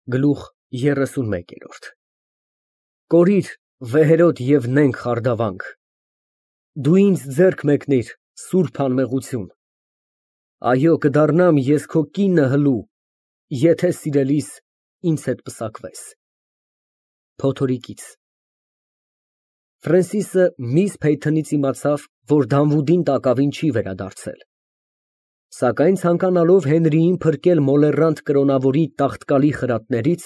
Գլուխ 31 Կորիր, վեհերոտ և նենգ խարդավանք, դու ինձ ձեռք մեկնիր սուրբ անմեղություն, այո, կդառնամ ես քո կինը հլու, եթե սիրելիս ինձ հետ պսակվես։ Փոթորիկից Ֆրենսիսը միս Փեյթոնից իմացավ, որ Դանվուդին տակավին չի վերադարձել, սակայն ցանկանալով Հենրիին փրկել մոլեռանդ կրոնավորի տաղտկալի խրատներից,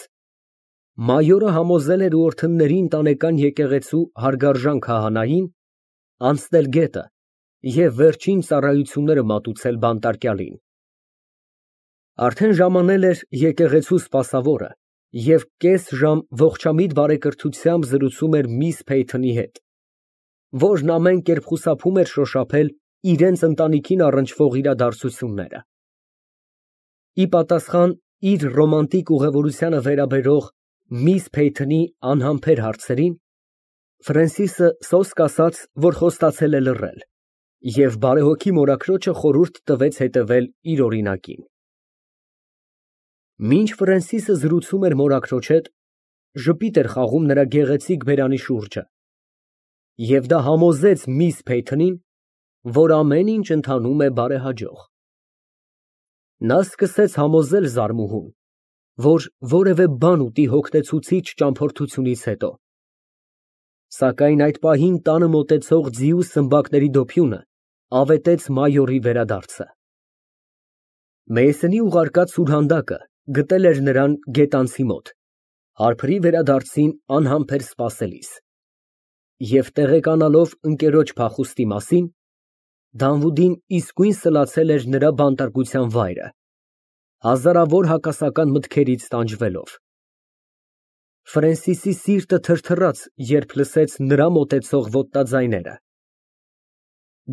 մայորը համոզել էր ուորթնների ընտանեկան եկեղեցու հարգարժան քահանային անցնել գետը և վերջին ծառայությունները մատուցել բանտարկյալին։ Արդեն ժամանել էր եկեղեցու սպասավորը և կես ժամ ողջամիտ բարեկրթությամբ զրուցում էր միս Փեյթոնի հետ, որն ամեն կերպ խուսափում էր շոշափել իրենց ընտանիքին առնչվող իրադարձությունները։ Ի պատասխան իր ռոմանտիկ ուղևորությանը վերաբերող միս Փեյթոնի անհամբեր հարցերին, Ֆրենսիսը սոսկ ասաց, որ խոստացել է լռել, և բարեհոգի մորաքրոջը խորհուրդ տվեց հետևել իր օրինակին։ Մինչ Ֆրենսիսը զրուցում էր մորաքրոջ հետ, ժպիտ էր խաղում նրա գեղեցիկ բերանի շուրջը, և դա համոզեց միս Փեյթոնին, որ ամեն ինչ ընթանում է բարեհաջող։ Նա սկսեց համոզել զարմուհուն, որ որևէ բան ուտի հոգնեցուցիչ ճամփորդությունից հետո, սակայն այդ պահին տանը մոտեցող ձիու սմբակների դոփյունը ավետեց մայորի վերադարձը։ Մեյսենի ուղարկած սուրհանդակը գտել էր նրան գետանցի մոտ, հարբրի վերադարձին անհամբեր սպասելիս, և տեղեկանալով ընկերոջ փախուստի մասին, Դանվուդին իսկույն սլացել էր նրա բանտարկության վայրը, հազարավոր հակասական մտքերից տանջվելով։ Ֆրենսիսի սիրտը թրթռաց, երբ լսեց նրա մոտեցող ոտնաձայները։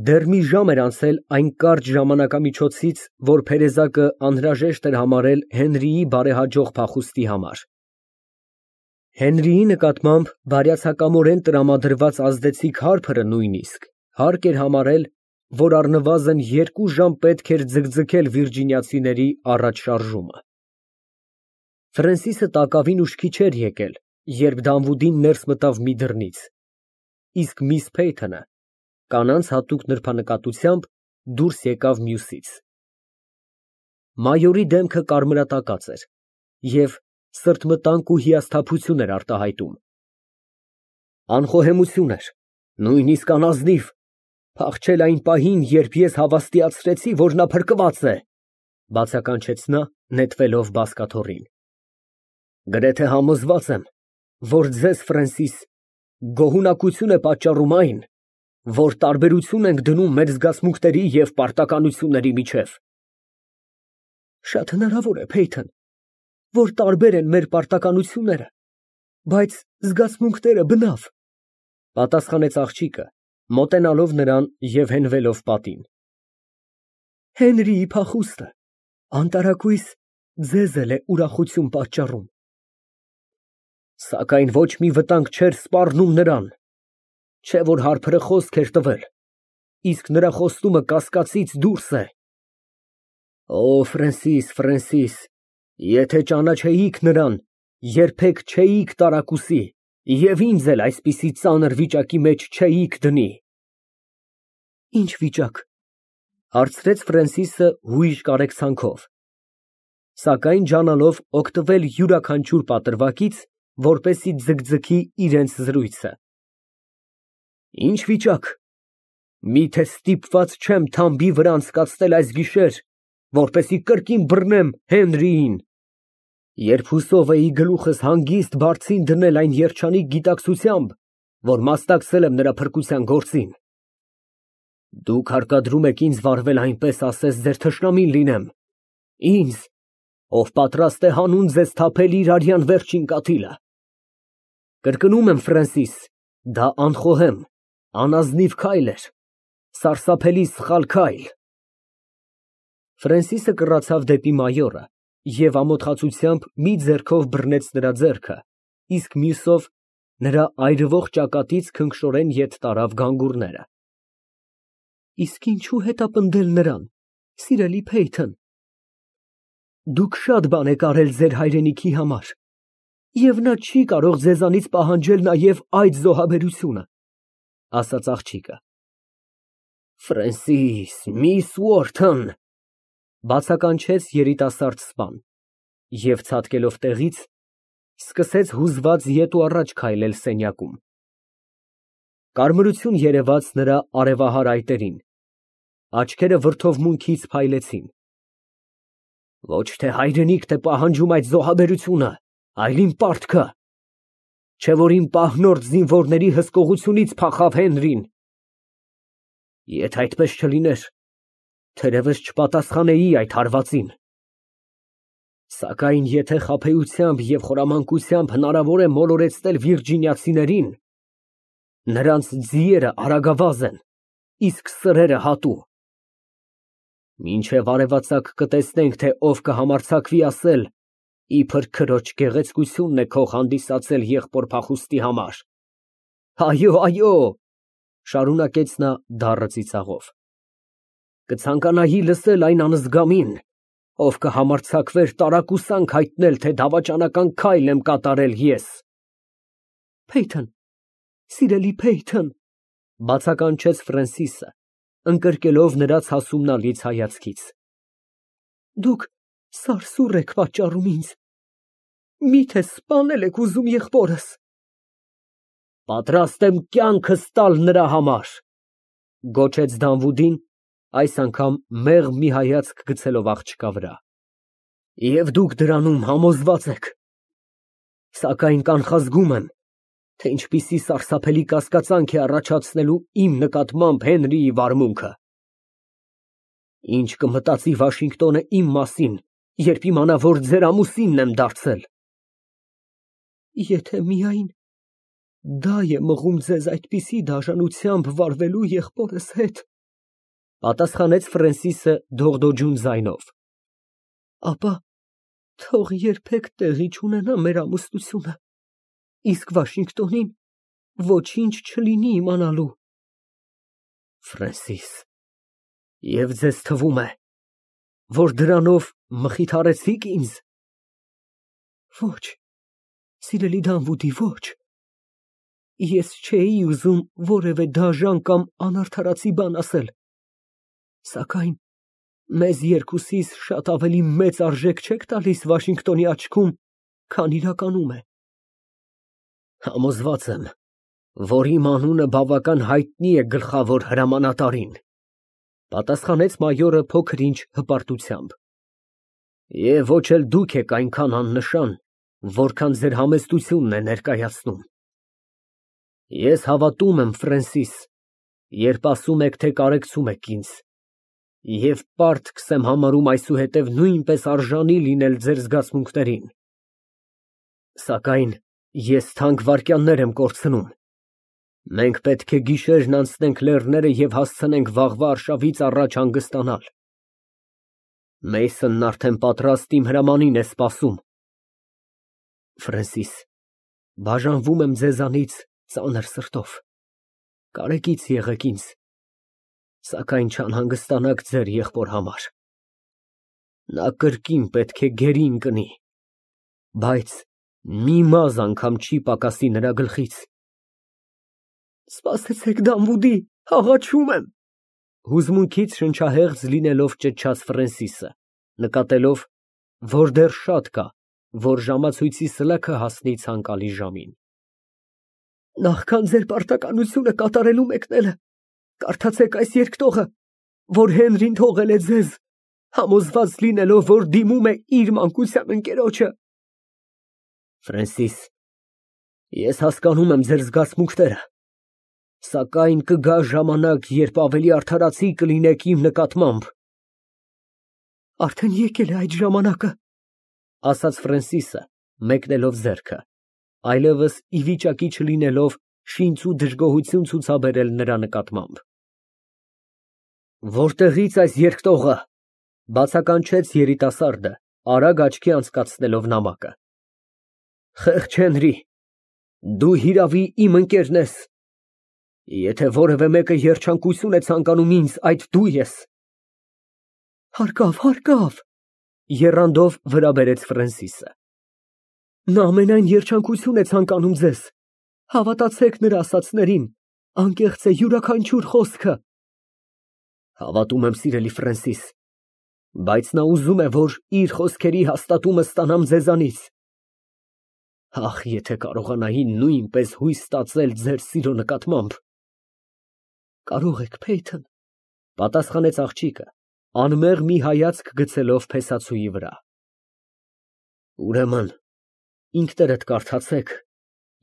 Դեռ մի ժամ էր անցել այն կարճ ժամանակամիջոցից, որ փերեզակը անհրաժեշտ էր համարել Հենրիի բարեհաջող փախուստի համար։ Հենրիի նկատմամբ բարյացակամորեն տրամադրված ազդեցիկ հարբը նույնիսկ հարկ էր համարել, որ առնվազն 2 ժամ պետք էր ձգձգել վիրջինիացիների առաջ շարժումը։ Ֆրենսիսը տակավին ուշքի չէր եկել, երբ Դանվուդին ներս մտավ մի դռնից, իսկ միս Փեյթոնը կանանց հատուկ նրբանկատությամբ դուրս եկավ մյուսից։ Մայորի դեմքը կարմրատակած էր և սրտմտանք ու հիասթափություն էր արտահայտում։ Անխոհեմություն էր, նույնիսկ անազնիվ, փախչել այն պահին, երբ ես հավաստիացրեցի, որ նա փրկված է, բացականչեց նա, նետվելով բազկաթոռին։ Գրեթե համոզված եմ, որ ձեզ, Ֆրենսիս, գոհունակություն է պատճառում այն, որ տարբերություն ենք դնում մեր զգացմունքների և պարտականությունների միջև։ Շատ հնարավոր է, Փեյթոն, որ տարբեր են մեր պարտականությունները, բայց զգացմունքները բնավ, պատասխանեց աղջիկը, մոտենալով նրան և հենվելով պատին։ Հենրիի փախուստը անտարակույս ձեզ էլ է ուրախություն պատճառում։ Սակայն ոչ մի վտանգ չէր սպառնում նրան, չէ՞ որ հարբրը խոսք էր տվել, իսկ նրա խոստումը կասկածից դուրս է։ Օ, Ֆրենսիս, Ֆրենսիս, եթե ճանաչեիք նրան, երբեք չէիք տարակուսի և ինձ էլ այսպիսի ծանր վիճակի մեջ չէիք դնի։ Ինչ վիճակ, հարցրեց Ֆրենսիսը հույժ կարեկցանքով, սակայն ջանալով օգտվել յուրաքանչյուր պատրվակից, որպեսզի ձգձգի իրենց զրույցը։ Ինչ վիճակ, միթե ստիպված չեմ թամբի վրա անցկացնել այս գիշեր, որպեսզի կրկին բռնեմ Հենրիին, երբ հուսով էի գլուխս հանգիստ բարձին դնել այն երջանիկ գիտակցությամբ, որ մասնակցել եմ նրա փրկության գործին։ Դուք հարկադրում եք ինձ վարվել այնպես, ասես ձեր թշնամին լինեմ, ինձ, ով պատրաստ է հանուն ձեզ թափել իր արյան վերջին կաթիլը։ Կրկնում եմ, Ֆրենսիս, դա անխոհեմ, անազնիվ քայլ էր, սարսափելի սխալ քայլ։ Ֆրենսիսը կռացավ դեպի մայորը և ամոթխածությամբ մի ձեռքով բռնեց նրա ձեռքը, իսկ մյուսով նրա այրվող ճակատից քնքշորեն ետ տարավ գանգուրները։ Իսկ ինչու հետապնդել նրան, սիրելի Փեյթոն։ Դուք շատ բան եք արել ձեր հայրենիքի համար, Եվ նա չի կարող ձեզանից պահանջել նաև այդ զոհաբերությունը, ասաց աղջիկը։ Ֆրենսիս, միս Ուորթոն, բացականչեց երիտասարդ սպան և ցատկելով տեղից, սկսեց հուզված ետ ու առաջ քայլել սենյակում։ Կարմրություն երևաց նրա արևահար այտերին, աչքերը վրդովմունքից փայլեցին։ Ոչ թե հայրենիքդ է պահանջում այդ զոհաբերությունը, այլ իմ պարտքը, չէ որ իմ պահնորդ զինվորների հսկողությունից փախավ Հենրին։ Եթե այդպես չլիներ, թերևս չպատասխանեի այդ հարվածին։ Սակայն եթե խաբեությամբ և խորամանկությամբ հնարավոր է մոլորեցնել վիրջինիացիներին, նրանց ձիերը արագավազ են, իսկ սրերը հատու։ Մինչև արևածագ կտեսնենք, թե ով կհամարձակվի ասել, իբր քրոջ գեղեցկությունն է քող հանդիսացել եղբոր փախուստի համար։ Այո, այո, շարունակեց նա դառը ծիծաղով, կցանկանայի լսել այն անզգամին, ով կհամարձակվեր տարակուսանք հայտնել, թե դավաճանական քայլ եմ կատարել ես։ Փեյթոն, սիրելի Փեյթոն, բացականչեց Ֆրենսիսը, ընկրկելով նրա ցասումնալից հայացքից։ Դուք սարսուռ եք պատճառում ինձ։ Միթե սպանել եք ուզում եղբորս։ Պատրաստ եմ կյանքս տալ նրա համար, գոչեց Դանվուդին, այս անգամ մեղմ մի հայացք գցելով աղջկա վրա։ Եվ դուք դրանում համոզված եք։ Սակայն կանխազգում եմ, թե ինչպիսի սարսափելի կասկածանք է առաջացնելու իմ նկատմամբ Հենրիի վարմունքը։ Ինչ կմտածի Վաշինգտոնը իմ մասին, երբ իմանա, որ ձեր ամուսինն եմ դարձել։ Եթե միայն դա է մղում ձեզ այդպիսի դաժանությամբ վարվելու եղբորս հետ, պատասխանեց Ֆրենսիսը դողդոջուն ձայնով, ապա թող երբեք տեղի չունենա մեր ամուսնությունը, իսկ Վաշինգտոնին ոչինչ չլինի իմանալու։ Ֆրենսիս, և ձեզ թվում է, որ դրանով մխիթարեցիք ինձ։ Ոչ, սիրելի Դանվուդի, ոչ։ Ես չէի ուզում որևէ դաժան կամ անարդարացի բան ասել, սակայն մեզ երկուսիս շատ ավելի մեծ արժեք չեք տալիս Վաշինգտոնի աչքում, քան իրականում է։ Համոզված եմ, որ իմ անունը բավական հայտնի է գլխավոր հրամանատարին, պատասխանեց մայորը փոքր-ինչ հպարտությամբ։ Եվ ոչ էլ դուք եք այնքան աննշան, որքան ձեր համեստությունն է ներկայացնում։ Ես հավատում եմ, Ֆրենսիս, երբ ասում եք, թե կարեկցում եք ինձ, և պարտքս եմ համարում այսուհետև նույնպես արժանի լինել ձեր զգացմունքներին։ Սակայն ես թանկ վայրկյաններ եմ կորցնում։ Մենք պետք է գիշերն անցնենք լեռները և հասցնենք վաղվա արշավից առաջ հանգստանալ։ Մեյսոնն արդեն պատրաստ իմ հրամանին է սպասում։ Ֆրենսիս, բաժանվում եմ ձեզանից ծանր սրտով, կարեկից եղեք ինձ, սակայն չանհանգստանաք ձեր եղբոր համար։ Նա կրկին պետք է գերին կնի, բայց մի մազը անգամ չի պակասի նրա գլխից։ Սպասեցեք, Դանվուդի, աղաչում եմ, հուզմունքից շնչահեղձ լինելով ճչաց Ֆրենսիսը, նկատելով, որ դեռ շատ կա, որ ժամացույցի սլաքը հասնի ցանկալի ժամին։ Նախքան ձեր պարտականությունը կատարելու մեկնելը, կարդացեք այս երկտողը, որ Հենրին թողել է ձեզ, համոզված լինելով, որ դիմում է իր մանկության ընկերոջը։ Ֆրենսիս, ես հասկանում եմ ձեր զգացմունքները, սակայն կգա ժամանակ, երբ ավելի արդարացի կլինեք իմ նկատմամբ։ Արդեն եկել է այդ ժամանակը, ասաց Ֆրենսիսը, մեկնելով ձեռքը, այլևս ի վիճակի չլինելով շինց ու դժգոհություն ցուցաբերել նրա նկատմամբ։ Որտեղի՞ց այս երկտողը, բացականչեց երիտասարդը, արագ աչքի անցկացնելով նամակը։ Խեղճ Հենրի, դու հիրավի իմ ընկերն ես։ Եթե որևէ մեկը երջանկություն է ցանկանում ինձ, այդ դու ես։ Հարկավ, եռանդով վրա բերեց Ֆրենսիսը։ Նա ամենայն երջանկություն է ցանկանում ձեզ։ Հավատացեք նրա ասածներին, անկեղծ է յուրաքանչյուր խոսքը։ Հավատում եմ, սիրելի Ֆրենսիս, բայց նա ուզում է, որ իր խոսքերի հաստատումը ստանամ ձեզանից։ Ախ, եթե կարողանայի նույնպես հույս ստացել ձեր սիրո նկատմամբ։ Կարող եք, Փեյթոն, պատասխանեց աղջիկը, անմեղ մի հայացք գցելով փեսացուի վրա։ Ուրեմն, ինքներդ կարդացեք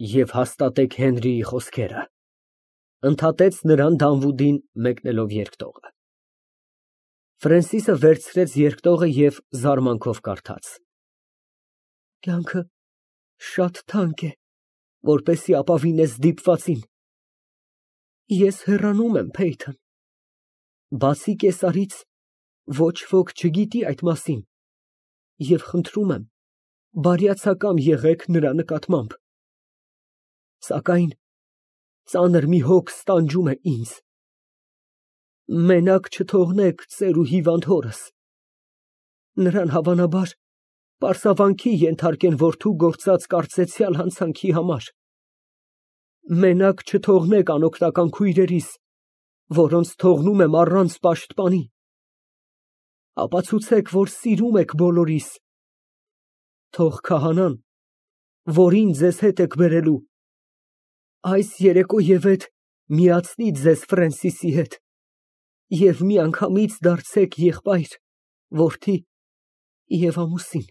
և հաստատեք Հենրիի խոսքերը, ընդհատեց նրան Դանվուդին մեկնելով երկտողը։ Ֆրենսիսը վերցրեց երկտողը և զարմանքով կարդաց. Կյանքը շատ թանկ է, որպեսզի ապավինես դիպվածին։ Ես հեռանում եմ, Փեյթոն։ Բացի կեսարից ոչ ոք չգիտի այդ մասին, և խնդրում եմ, բարյացակամ եղեք նրա նկատմամբ։ Սակայն ծանր մի հոգ ստանջում է ինձ. մենակ չթողնեք ծեր ու հիվանդ հորս. նրան հավանաբար պարսավանքի ենթարկեն որդու գործած կարծեցյալ հանցանքի համար. մենակ չթողնեք անօգնական քույրերիս, որոնց թողնում եմ առանց պաշտպանի. ապացուցեք, որ սիրում եք բոլորիս. թող քահանան, որին ձեզ հետ եք բերելու, այս երեկոևեթ միացնի ձեզ Ֆրենսիսի հետ և միանգամից դարձեք եղբայր, որդի և ամուսին։